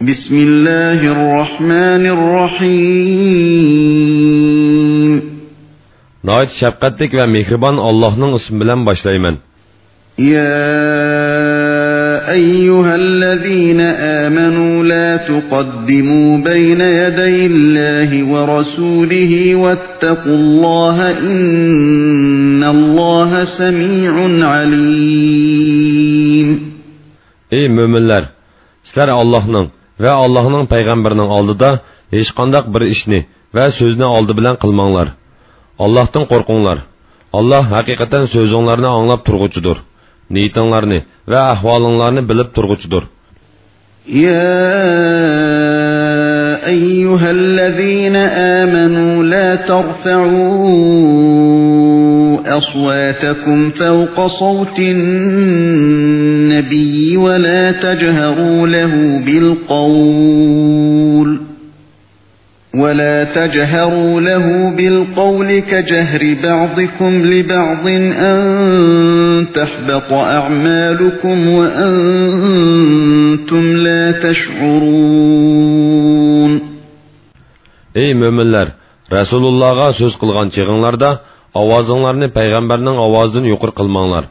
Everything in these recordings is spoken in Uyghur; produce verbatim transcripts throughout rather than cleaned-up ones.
بسم الله الرحمن الرحيم. ناھايىتى شەپقەتلىك ۋە مېھرىبان ئاللاھنىڭ ئىسمى بىلەن باشلايمەن. يا أيها الذين آمنوا لا تقدموا بين يدي الله ورسوله واتقوا الله إن الله سميع عليم. ئەي مۆمىنلەر! سىلەر ئاللاھنىڭ ۋە ئاللاھنىڭ پەيغەمبىرىنىڭ ئالدىدا ھېچقانداق بىر ئىشنى ۋە سۆزنى ئالدى بىلەن قىلماڭلار. ئاللاھتىن قورقۇڭلار. ئاللاھ ھەقىقەتەن سۆزۈڭلارنى ئاڭلاپ تۇرغۇچىدۇر. نىيىتىڭلارنى ۋە ئەھۋالىڭلارنى بىلىپ تۇرغۇچىدۇر. يا أيها الذين آمنوا لا ترفعوا أصواتكم فوق صوت النبي ولا تجهروا له بالقول ولا تجهروا له بالقول كجهر بعضكم لبعض أن تحبط أعمالكم وأنتم لا تشعرون. ئەي مۆمىنلەر! رەسۇلۇللاغا سۆز قىلغان چېغىڭلاردا ئاۋازىڭلارنى پەيغەمبەرنىڭ ئاۋازىدىن يۇقىرى قىلماڭلار.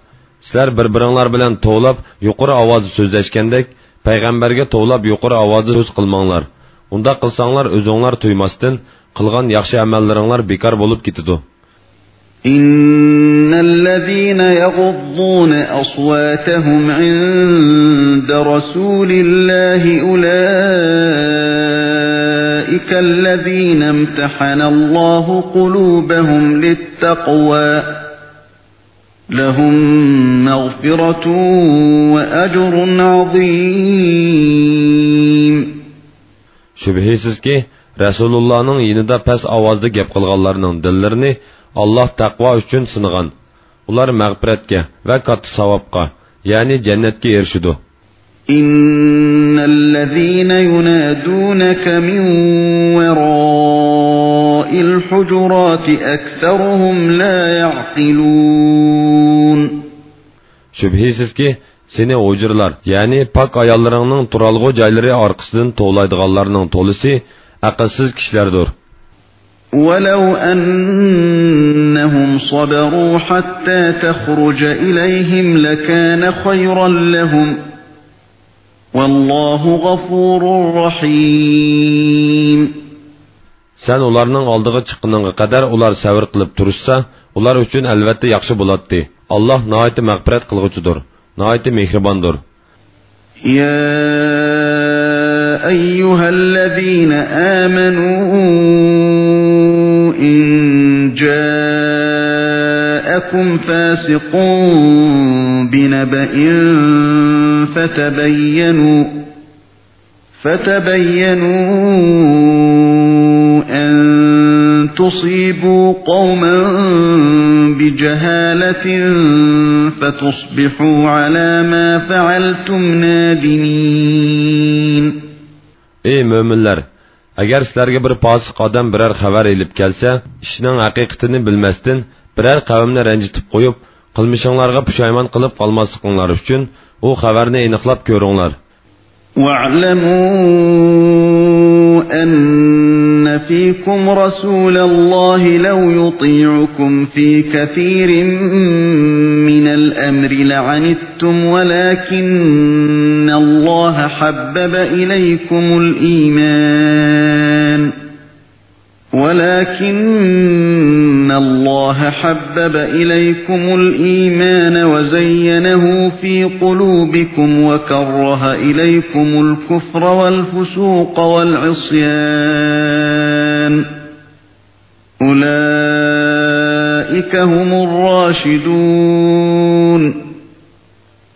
سىلەر بىر-بىرىڭلار بىلەن توۋلاپ يۇقىرى ئاۋازدا سۆزلەشكەندەك، پەيغەمبەرگە توۋلاپ يۇقىرى ئاۋازدا سۆز قىلماڭلار. ئۇنداق قىلساڭلار، ئۆزۈڭلار تۇيماستىن قىلغان ياخشى ئەمەللىرىڭلار بىكار بولۇپ كېتىدۇ. إن الذين يغضون أصواتهم عند رسول الله أولئك الذين امتحن الله قلوبهم للتقوى لهم مغفرة وأجر عظيم. شۈبھىسىزكى، رەسۇلۇللانىڭ يېنىدا پەس ئاۋازدا گەپ قىلغانلارنىڭ دىللىرىنى ئاللاھ تەقۋا ئۈچۈن سىنىغان. ئۇلار مەغپىرەتكە ۋە كاتتا ساۋابقا، يەنى جەننەتكە ئېرىشىدۇ. إن الذين ينادونك من وراء الحجرات أكثرهم لا يعقلون. شۈبھىسىزكى، سېنى ھۇجرىلار، يەنى پاك ئاياللىرىڭنىڭ تۇرالغۇ جايلىرى ئارقىسىدىن توۋلايدىغانلارنىڭ تولىسى ئەقىلسىز كىشىلەردۇر. ولو أنهم صبروا حتى تخرج إليهم لكان خيرا لهم. والله غفور رحيم. سەن ئۇلارنىڭ ئالدىغا چىققىنىڭغا قەدەر ئۇلار سەۋر قىلىپ تۇرۇشسا، ئۇلار ئۈچۈن ئەلۋەتتە ياخشى بولاتتى. ئاللاھ ناھايىتى مەغپىرەت قىلغۇچىدۇر، ناھايىتى مېھرىباندۇر. يا أيها الذين آمنوا إن جاءكم فاسق بنبأ فتبينوا فتبينوا أن تصيبوا قوما بجهالة فتصبحوا على ما فعلتم نادمين. ئەي مۆمىنلەر! ئەگەر سىلەرگە بىر پاسىق ئادەم بىرەر خەۋەر ئېلىپ كەلسە، ئىشنىڭ ھەقىقىتىنى بىلمەستىن، بىرەر قەۋمنى رەنجىتىپ قويۇپ، قىلمىشىڭلارغا پۇشايمان قىلىپ قالماسلىقىڭلار ئۈچۈن، ئۇ خەۋەرنى ئېنىقلاپ كۆرۈڭلار. واعلموا أن فيكم رسول الله لو يطيعكم في كثير من الأمر لعنتم ولكن الله حبب إليكم الإيمان ولكن الله حبب إليكم الإيمان وزينه في قلوبكم وكره إليكم الكفر والفسوق والعصيان أولئك هم الراشدون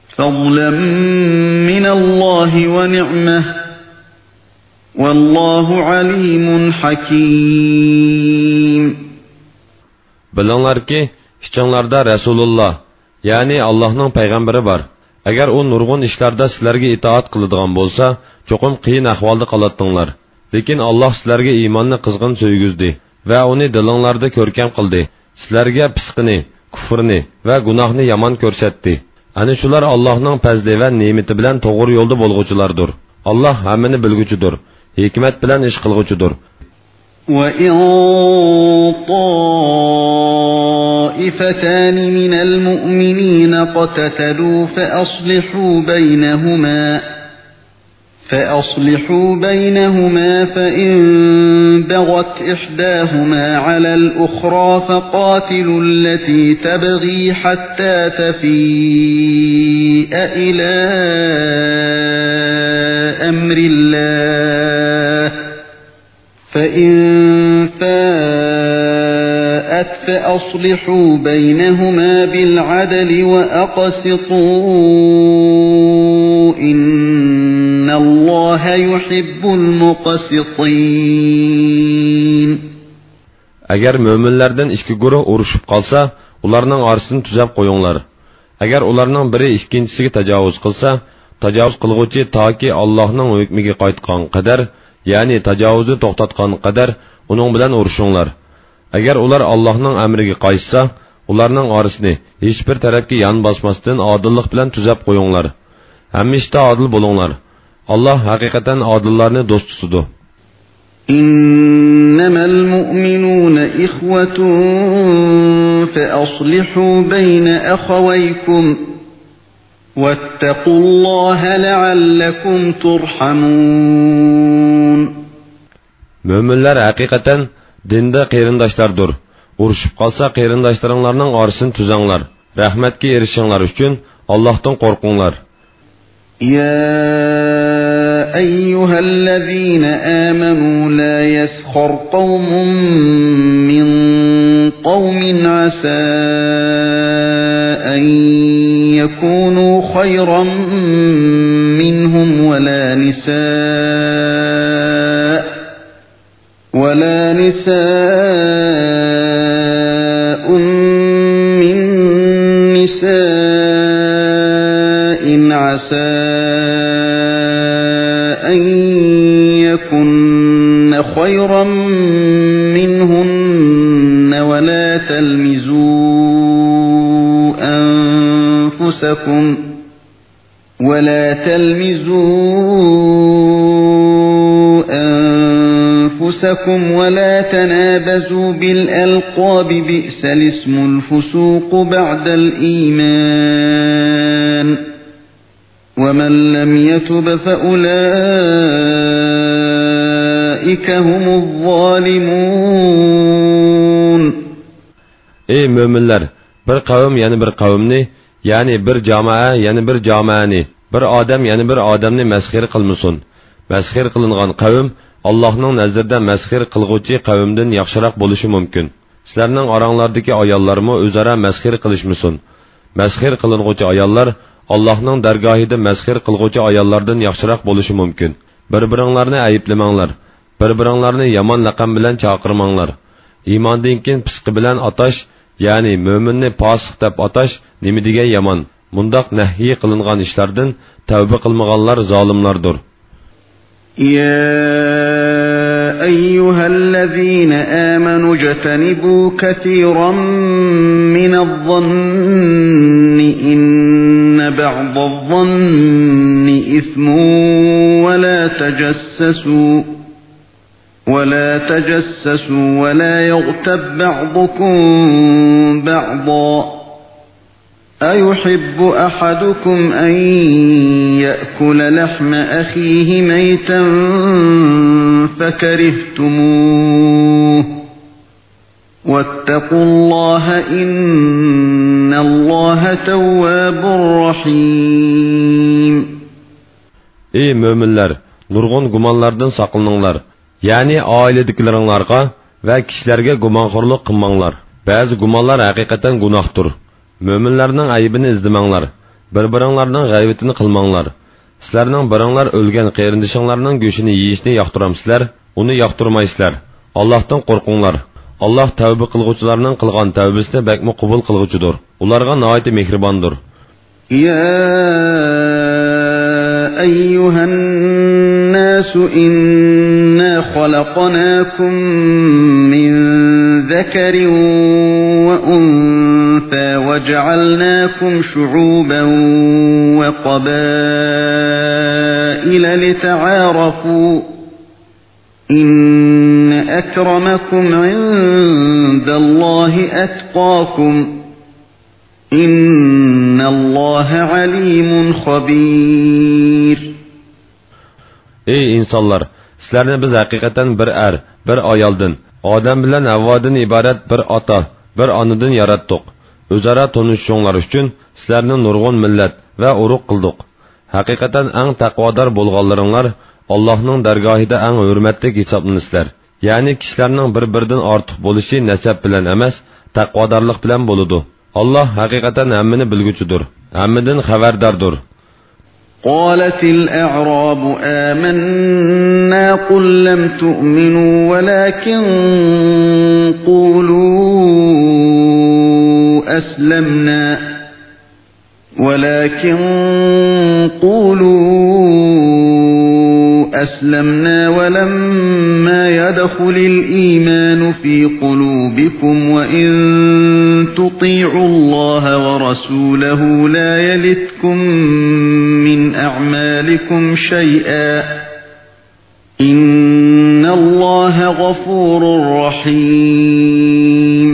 فضلا من الله ونعمة والله عليم حكيم. بىلىڭلاركى، ئىچىڭلاردا رەسۇلۇللا، يەنى ئاللاھنىڭ پەيغەمبىرى بار. ئەگەر ئۇ نۇرغۇن ئىشلاردا سىلەرگە ئىتائەت قىلىدىغان بولسا، چوقۇم قىيىن ئەھۋالدا قالاتتىڭلار. لېكىن ئاللاھ سىلەرگە ئىماننى قىزغىن سۆيگۈزدى ۋە ئۇنى دىلىڭلاردا كۆركەم قىلدى. سىلەرگە پىسقىنى، كۇفرنى ۋە گۇناھنى يامان كۆرسەتتى. ئەنە شۇلار ئاللاھنىڭ پەزلى ۋە نېمىتى بىلەن توغرا يولدا بولغۇچىلاردۇر. ئاللاھ ھەممىنى بىلگۈچىدۇر، ھېكمەت بىلەن ئىش قىلغۇچىدۇر. وَإِن طَائِفَتَانِ مِنَ الْمُؤْمِنِينَ اقْتَتَلُوا فَأَصْلِحُوا بَيْنَهُمَا، فَأَصْلِحُوا بَيْنَهُمَا، فَإِن بَغَتْ إِحْدَاهُمَا عَلَى الْأُخْرَى فَقَاتِلُوا الَّتِي تَبْغِي حَتَّى تَفِيءَ إِلَى أَمْرِ اللَّهِ، فَإِن فَاءَتْ فَأَصْلِحُوا بَيْنَهُمَا بِالْعَدْلِ وَأَقْسِطُوا، إِنَّ اللَّهَ يُحِبُّ الْمُقْسِطِينَ. ئەگەر مۆمىنلەردىن ئىككى گۇرۇھ ئۇرۇشۇپ قالسا، ئۇلارنىڭ ئارىسىنى تۈزەپ قويۇڭلار. ئەگەر ئۇلارنىڭ بىرى ئىككىنچىسىگە تاجاۋۇز قىلسا، تاجاۋۇز قىلغۇچى تاكى ئاللاھنىڭ ھۆكمىگە قايتقان قەدەر، يەنى تاجاۋۇزنى توختاتقان قەدەر ئۇنىڭ بىلەن ئۇرۇشۇڭلار. ئەگەر ئۇلار ئاللاھنىڭ ئەمرىگە قايتسا، ئۇلارنىڭ ئارىسىنى ھېچبىر تەرەپكە يان باسماستىن ئادىللىق بىلەن تۈزەپ قويۇڭلار. ھەممە ئىشتا ئادىل بولۇڭلار. ئاللاھ ھەقىقەتەن ئادىللارنى دوست تۇتىدۇ. إِنَّمَا الْمُؤْمِنُونَ إِخْوَةٌ فَأَصْلِحُوا بَيْنَ أَخَوَيْكُمْ وَاتَّقُوا اللَّهَ لَعَلَّكُمْ تُرْحَمُونَ. مۆمىنلەر ھەقىقەتەن دىندا قېرىنداشلاردۇر. ئۇرۇشۇپ قالسا، قېرىنداشلىرىڭلارنىڭ ئارىسىنى تۈزەڭلار. رەھمەتكە ئېرىشىشىڭلار ئۈچۈن ئاللاھتىن قورقۇڭلار. يَا أَيُّهَا الَّذِينَ آمَنُوا لَا يَسْخَرْ قَوْمٌ مِّن قَوْمٍ عَسَىٰ أَن يَكُونُوا خَيْرًا مِّنْهُمْ وَلَا نِسَاءٌ وَلَا نِسَاءٌ مِّن نِّسَاءٍ عَسَىٰ أَن يَكُنَّ خَيْرًا مِّنْهُنَّ، وَلَا تَلْمِزُوا أَنفُسَكُمْ، وَلَا تَلْمِزُوا أَنفُسَكُمْ وَلَا تَنَابَزُوا بِالْأَلْقَابِ، بِئْسَ الِاسْمُ الْفُسُوقُ بَعْدَ الْإِيمَانِ، وَمَن لَّمْ يَتُبْ فَأُولَٰئِكَ هُمُ الظَّالِمُونَ. ئەي مۆمىنلەر، بىر قەۋم يەنە بىر قەۋمنى، يەنى بىر جامائە يەنە بىر جامائەنى، بىر ئادەم يەنە بىر ئادەمنى مەسخىرە قىلمىسۇن. مەسخىرە قىلىنغان قەۋم ئاللاھنىڭ نەزىرىدە مەسخىرە قىلغۇچى قەۋمدىن ياخشىراق بولۇشى مۇمكىن. سىلەرنىڭ ئاراڭلاردىكى ئاياللارمۇ ئۆزئارا مەسخىرە قىلىشمىسۇن. مەسخىرە قىلىنغۇچى ئاياللار ئاللاھنىڭ دەرگاھىدا مەسخىرە قىلغۇچى ئاياللاردىن ياخشىراق بولۇشى مۇمكىن. بىر-بىرىڭلارنى ئەيىبلىمەڭلار. بىر-بىرىڭلارنى يامان لەقەم بىلەن چاقىرماڭلار. ئىماندىن كېيىن پىسقى بىلەن ئاتاش، يەنى مۆمىننى پاسىق دەپ ئاتاش نېمە دېگەن يامان! مۇنداق نەھيى قىلىنغان ئىشلاردىن تەۋبە قىلمىغانلار زالىملاردۇر. يَا أَيُّهَا الَّذِينَ آمَنُوا اجْتَنِبُوا كَثِيرًا مِّنَ الظَّنِّ إِنَّ بَعْضَ الظَّنِّ إِثْمٌ، وَلَا تَجَسَّسُوا، وَلَا تَجَسَّسُوا، وَلَا يَغْتَب بَّعْضُكُم بَعْضًا، أَيُحِبُّ أَحَدُكُمْ أَن يَأْكُلَ لَحْمَ أَخِيهِ مَيْتًا فَكَرِهْتُمُوهُ، وَاتَّقُوا اللَّهَ، إِنَّ اللَّهَ تَوَّابٌ رَّحِيمٌ. ئەي مۆمىنلەر، نۇرغۇن گۇمانلاردىن ساقلىنىڭلار. يەنى ئائىلىدىكىلىرىڭلارغا ۋە كىشىلەرگە گۇمانخورلۇق قىلماڭلار. بەزى گۇمانلار ھەقىقەتەن گۇناھتۇر. مۆمىنلەرنىڭ ئەيىبىنى ئىزدىمەڭلار. بىر-بىرىڭلارنىڭ غەيۋىتىنى قىلماڭلار. سىلەرنىڭ بىرىڭلار ئۆلگەن قېرىندىشىڭلارنىڭ گۆشىنى يېيىشنى ياقتۇرامسىلەر؟ ئۇنى ياقتۇرمايسىلەر. ئاللاھتىن قورقۇڭلار. ئاللاھ تەۋبە قىلغۇچىلارنىڭ قىلغان تەۋبىسىنى بەكمۇ قوبۇل قىلغۇچىدۇر. ئۇلارغا ناھايىتى مېھرىباندۇر. يَا أَيُّهَا النَّاسُ إِنَّا خَلَقْنَاكُم مِّن ذَكَرٍ وَأُنثَىٰ وجعلناكم شعوبا وقبائل لتعارفوا، إن أكرمكم عند الله أتقاكم، إن الله عليم خبير. ئەي ئىنسانلار، سىلەرنى بىز ھەقىقەتەن بىر ئەر، بىر ئايالدىن، ئادەم بىلەن ھەۋۋادىن ئىبارەت بىر ئاتا، بىر ئانىدىن ياراتتۇق. ئۆزئارا تونۇشۇشۇڭلار ئۈچۈن سىلەرنى نۇرغۇن مىللەت ۋە ئۇرۇق قىلدۇق. ھەقىقەتەن ئەڭ تەقۋادار بولغانلىرىڭلار ئاللاھنىڭ دەرگاھىدا ئەڭ ھۆرمەتلىك ھېسابلىنىسىلەر. يەنى كىشىلەرنىڭ بىر-بىرىدىن ئارتۇق بولۇشى نەسەب بىلەن ئەمەس، تەقۋادارلىق بىلەن بولىدۇ. ئاللاھ ھەقىقەتەن ھەممىنى بىلگۈچىدۇر، ھەممىدىن خەۋەرداردۇر. قالت الأعراب آمنا، قل لم تؤمنوا ولكن قولوا أسلمنا، ولكن قولوا أسلمنا ولما يدخل الإيمان في قلوبكم وإن تطيعوا الله ورسوله لا يلتكم من أعمالكم شيئا، إن الله غفور رحيم.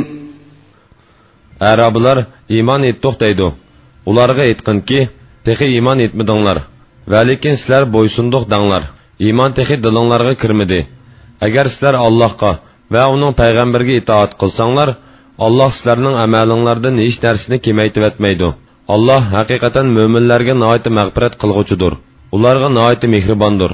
ئەرابىلار ئىمان ئېيتتۇق دەيدۇ. ئۇلارغا ئېيتقىنكى، تېخى ئىمان ئېيتمىدىڭلار. ۋەلىكىن سىلەر بويسۇندۇق دەڭلار. ئىمان تېخى دىلىڭلارغا كىرمىدى. ئەگەر سىلەر ئاللاھقا ۋە ئۇنىڭ پەيغەمبىرىگە ئىتائەت قىلساڭلار، ئاللاھ سىلەرنىڭ ئەمەلىڭلاردىن ھېچ نەرسىنى كېمەيتىۋەتمەيدۇ. ئاللاھ ھەقىقەتەن مۆمىنلەرگە ناھايىتى مەغپىرەت قىلغۇچىدۇر. ئۇلارغا ناھايىتى مېھرىباندۇر.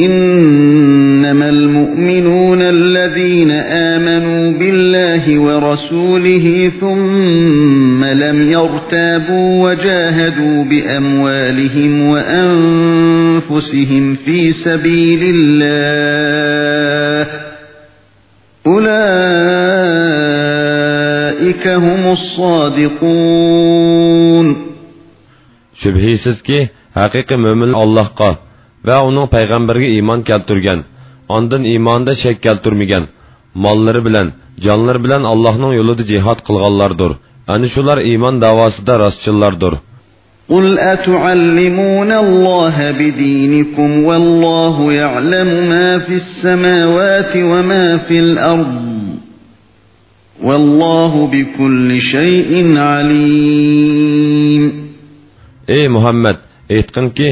إنما المؤمنون الذين آمنوا بالله ورسوله ثم لم يرتابوا وجاهدوا بأموالهم وأنفسهم في سبيل الله، أولئك هم الصادقون. شۈبھىسىزكى، ھەقىقىي مۆمىنلەر ئاللاھقا ۋە ئۇنىڭ پەيغەمبىرىگە ئىمان كەلتۈرگەن، ئاندىن ئىمانىدا شەك كەلتۈرمىگەن، ماللىرى بىلەن، جانلىرى بىلەن ئاللاھنىڭ يولىدا جىھاد قىلغانلاردۇر. ئەنە شۇلار ئىمان دەۋاسىدا راستچىللاردۇر. قل أتعلمون الله بدينكم والله يعلم ما في السماوات وما في الأرض، والله بكل شيء عليم. ئەي مۇھەممەد، ئېيتقىنكى،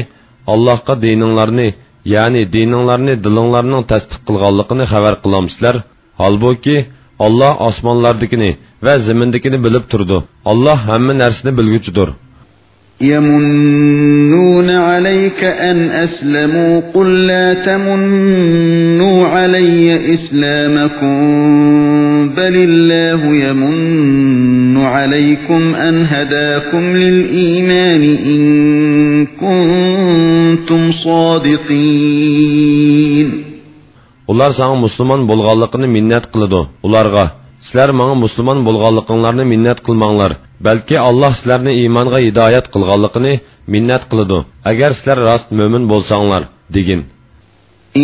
ئاللاھقا دىنىڭلارنى، يەنى دىنىڭلارنى دىلىڭلارنىڭ تەستىق قىلغانلىقىنى خەۋەر قىلامسىلەر؟ ھالبۇكى، ئاللاھ ئاسمانلاردىكىنى ۋە زېمىندىكىنى بىلىپ تۇرىدۇ. ئاللاھ ھەممە نەرسىنى بىلگۈچىدۇر. يمنون عليك أن أسلموا، قل لا تمنوا علي إسلامكم، بل الله يمن عليكم أن هداكم للإيمان إن كنتم صادقين. ئۇلار ساڭا مۇسۇلمان بولغانلىقىنى مىننەت قىلىدۇ. ئۇلارغا، سىلەر ماڭا مۇسۇلمان بولغانلىقىڭلارنى مىننەت قىلماڭلار، بەلكى ئاللاھ سىلەرنى ئىمانغا ھىدايەت قىلغانلىقىنى مىننەت قىلىدۇ، ئەگەر سىلەر راست مۆمىن بولساڭلار، دېگىن.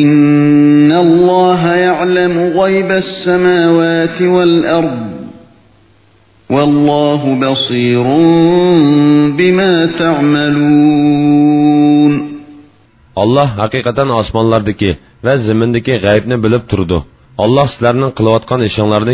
إن الله يعلم غيب السماوات والأرض، والله بصير بما تعملون. ئاللاھ ھەقىقەتەن ئاسمانلاردىكى ۋە زېمىندىكى غەيىبنى بىلىپ تۇرىدۇ. ئاللاھ سىلەرنىڭ قىلىۋاتقان ئىشىڭلارنى